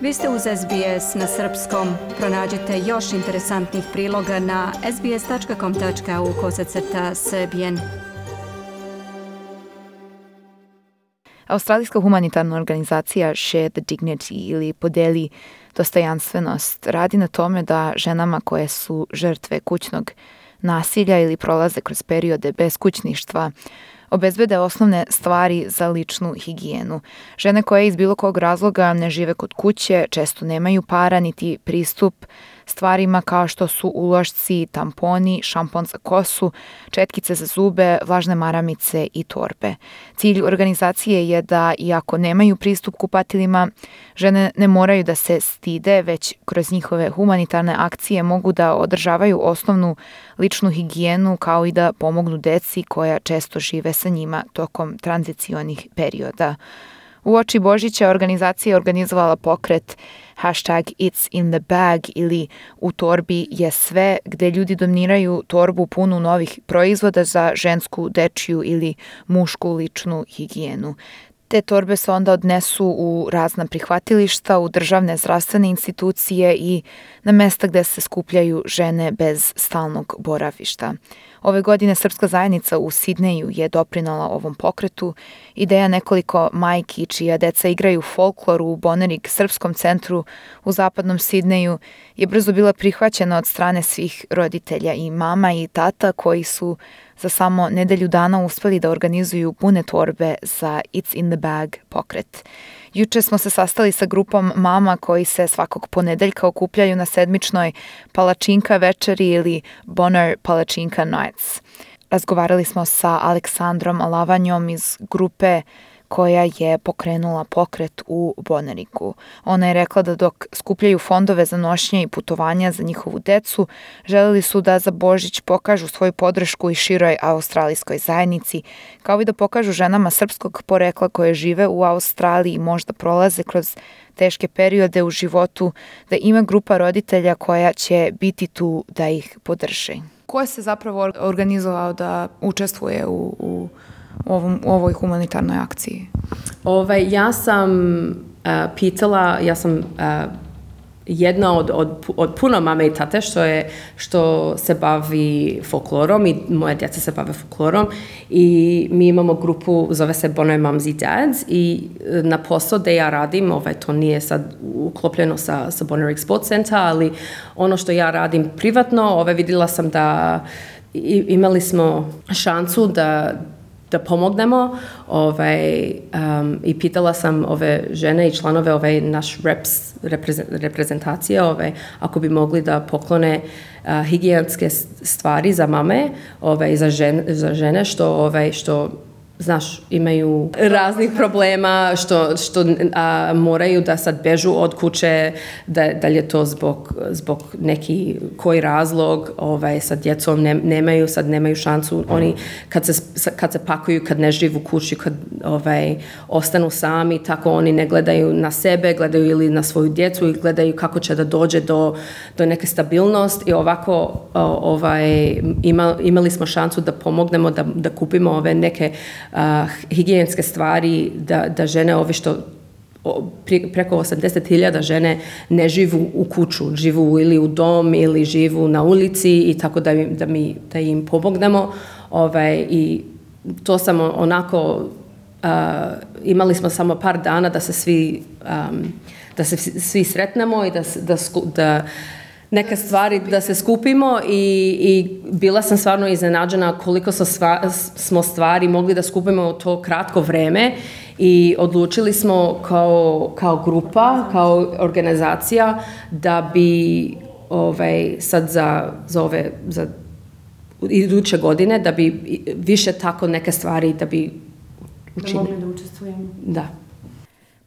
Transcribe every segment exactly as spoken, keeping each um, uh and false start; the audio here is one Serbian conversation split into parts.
Vi ste uz S B S na srpskom. Pronađite još interesantnih priloga na sbs.com.au kosacrta srbijen. Australijska humanitarna organizacija Share the Dignity ili Podeli dostojanstvenost radi na tome da ženama koje su žrtve kućnog nasilja ili prolaze kroz periode beskućništva obezbede osnovne stvari za ličnu higijenu. Žene koje iz bilo kog razloga ne žive kod kuće često nemaju para niti pristup stvarima kao što su ulošci, tamponi, šampon za kosu, četkice za zube, vlažne maramice i torbe. Cilj organizacije je da, iako nemaju pristup kupatilima, žene ne moraju da se stide, već kroz njihove humanitarne akcije mogu da održavaju osnovnu ličnu higijenu kao i da pomognu deci koja često žive sa njima tokom tranzicionih perioda. Uoči Božića organizacija je organizovala pokret hashtag It's in the bag ili U torbi je sve, gde ljudi doniraju torbu punu novih proizvoda za žensku, dečju ili mušku ličnu higijenu. Te torbe se onda odnesu u razna prihvatilišta, u državne zdravstvene institucije i na mesta gde se skupljaju žene bez stalnog boravišta. Ove godine srpska zajednica u Sidneju je doprinala ovom pokretu. Ideja nekoliko majki čija deca igraju folklor u Bonerig srpskom centru u zapadnom Sidneju je brzo bila prihvaćena od strane svih roditelja i mama i tata koji su za samo nedelju dana uspeli da organizuju pune torbe za It's in the bag pokret. Juče smo se sastali sa grupom mama koji se svakog ponedeljka okupljaju na sedmičnoj palačinka večeri ili Bonar palačinka nights. Razgovarali smo sa Aleksandrom Alavanjom iz grupe koja je pokrenula pokret u Boneriku. Ona je rekla da dok skupljaju fondove za nošnje i putovanja za njihovu decu, želeli su da za Božić pokažu svoju podršku i široj australijskoj zajednici, kao i da pokažu ženama srpskog porekla koje žive u Australiji i možda prolaze kroz teške periode u životu, da ima grupa roditelja koja će biti tu da ih podrži. Ko je se zapravo organizovao da učestvuje u, u Ovom, u ovoj humanitarnoj akciji? Ovaj, ja sam uh, pitala, ja sam uh, jedna od, od, od puno mame i tate što, je, što se bavi folklorom i moje djeca se bave folklorom i mi imamo grupu, zove se Bonar Mums i Dads i na posao da ja radim, ovaj, to nije sad uklopljeno sa, sa Bonarig Sports Center, ali ono što ja radim privatno, ovaj, vidjela sam da i, imali smo šansu da da pomognemo ovaj, um, i pitala sam ove žene i članove ovaj, naš reps, reprezentacije ovaj, ako bi mogli da poklone uh, higijenske stvari za mame, ovaj, za, žen, za žene što, ovaj, što znaš, imaju raznih problema, što, što a, moraju da sad bežu od kuće, da, da li je to zbog, zbog neki koji razlog, ovaj, sa djecom ne, nemaju, sad nemaju šansu, oni kad se, kad se pakuju, kad ne živu u kući, kad ovaj, ostanu sami, tako oni ne gledaju na sebe, gledaju ili na svoju djecu i gledaju kako će da dođe do, do neke stabilnosti i ovako ovaj, ima, imali smo šansu da pomognemo, da, da kupimo ove neke Uh, higijenske stvari, da, da žene ove što pre, preko osamdeset hiljada žene ne živu u kuću, živu ili u dom ili živu na ulici i tako da, da, mi, da im pomognemo. Ovaj, i to sam onako, uh, imali smo samo par dana da se svi, um, da se svi sretnemo i da, da, da neke stvari da se skupimo i, i bila sam stvarno iznenađena koliko sva, smo stvari mogli da skupimo u to kratko vreme i odlučili smo kao, kao grupa, kao organizacija da bi ovaj, sad za, za ove za iduće godine da bi više tako neke stvari da bi učinili. Da mogli da učestvujemo. Da.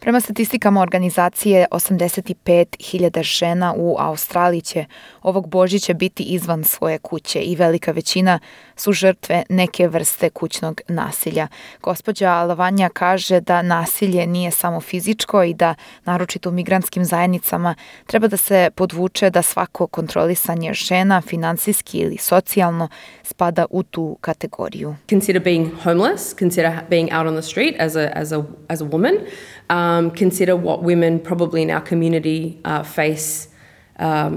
Prema statistikama organizacije, osamdeset pet hiljada žena u Australiji će ovog Božića biti izvan svoje kuće i velika većina su žrtve neke vrste kućnog nasilja. Gospođa Lavanja kaže da nasilje nije samo fizičko i da, naročito u migrantskim zajednicama, treba da se podvuče da svako kontrolisanje žena, finansijski ili socijalno, spada u tu kategoriju. Consider being homeless, consider being out on the street as a, as a, as a woman. Um, um, consider what women probably in our community uh, face um,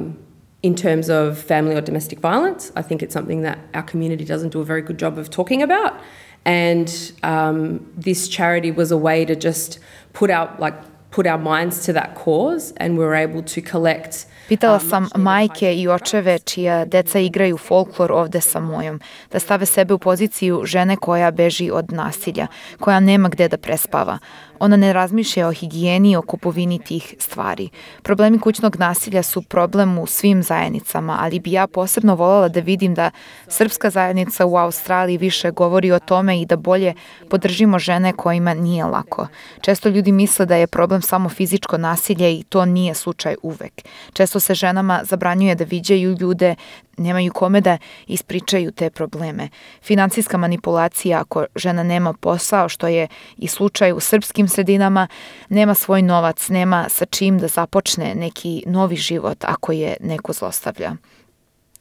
in terms of family or domestic violence. I think it's something that our community doesn't do a very good job of talking about. And um, this charity was a way to just put our, like, put our minds to that cause, and we were able to collect. Pitala sam majke i očeve čija deca igraju folklor ovde sa mojom, da stave sebe u poziciju žene koja beži od nasilja, koja nema gde da prespava. Ona ne razmišlja o higijeni i o kupovini tih stvari. Problemi kućnog nasilja su problem u svim zajednicama, ali bi ja posebno voljela da vidim da srpska zajednica u Australiji više govori o tome i da bolje podržimo žene kojima nije lako. Često ljudi misle da je problem samo fizičko nasilje i to nije slučaj uvek. Često se ženama zabranjuje da viđaju ljude, nemaju kome da ispričaju te probleme. Finansijska manipulacija ako žena nema posao, što je i slučaj u srpskim sredinama, nema svoj novac, nema sa čim da započne neki novi život ako je neko zlostavlja.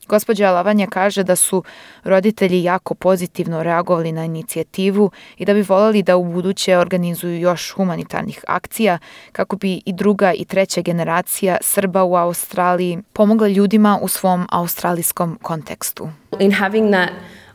Gospođa Lavanja kaže da su roditelji jako pozitivno reagovali na inicijativu i da bi voljeli da u buduće organizuju još humanitarnih akcija kako bi i druga i treća generacija Srba u Australiji pomogla ljudima u svom australijskom kontekstu. In having that,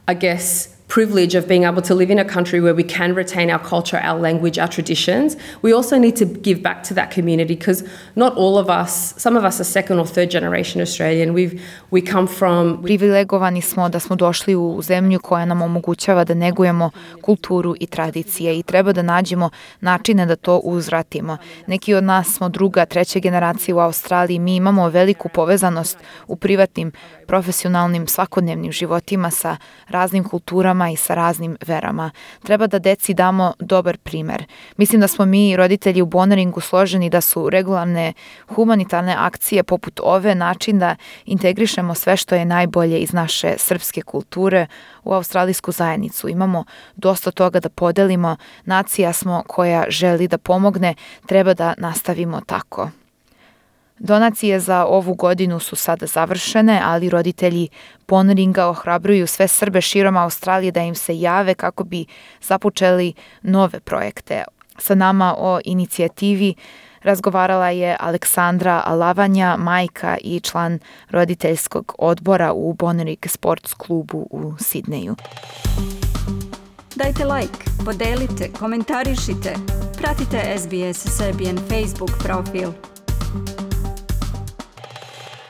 I guess, privilege of being able to live in a country where we can retain our culture, our language, our traditions, we also need to give back to that community, because not all of us, some of us are second or third generation Australian. We've, we come from... Privilegovani smo da smo došli u zemlju koja nam omogućava da negujemo kulturu i tradicije i treba da nađemo načine da to uzvratimo. Neki od nas smo druga, treća generacija u Australiji. Mi imamo veliku povezanost u privatnim, profesionalnim, svakodnevnim životima sa raznim kulturama i sa raznim verama. Treba da deci damo dobar primer. Mislim da smo mi roditelji u Bonneringu složeni da su regularne humanitarne akcije poput ove način da integrišemo sve što je najbolje iz naše srpske kulture u australijsku zajednicu. Imamo dosta toga da podelimo, nacija smo koja želi da pomogne, treba da nastavimo tako. Donacije za ovu godinu su sada završene, ali roditelji Bonneringa ohrabruju sve Srbe širom Australije da im se jave kako bi započeli nove projekte. Sa nama o inicijativi razgovarala je Aleksandra Lavanja, majka i član roditeljskog odbora u Bonnering Sports klubu u Sidneju. Dajte like, podelite, komentarišite, pratite S B S Serbian Facebook profil.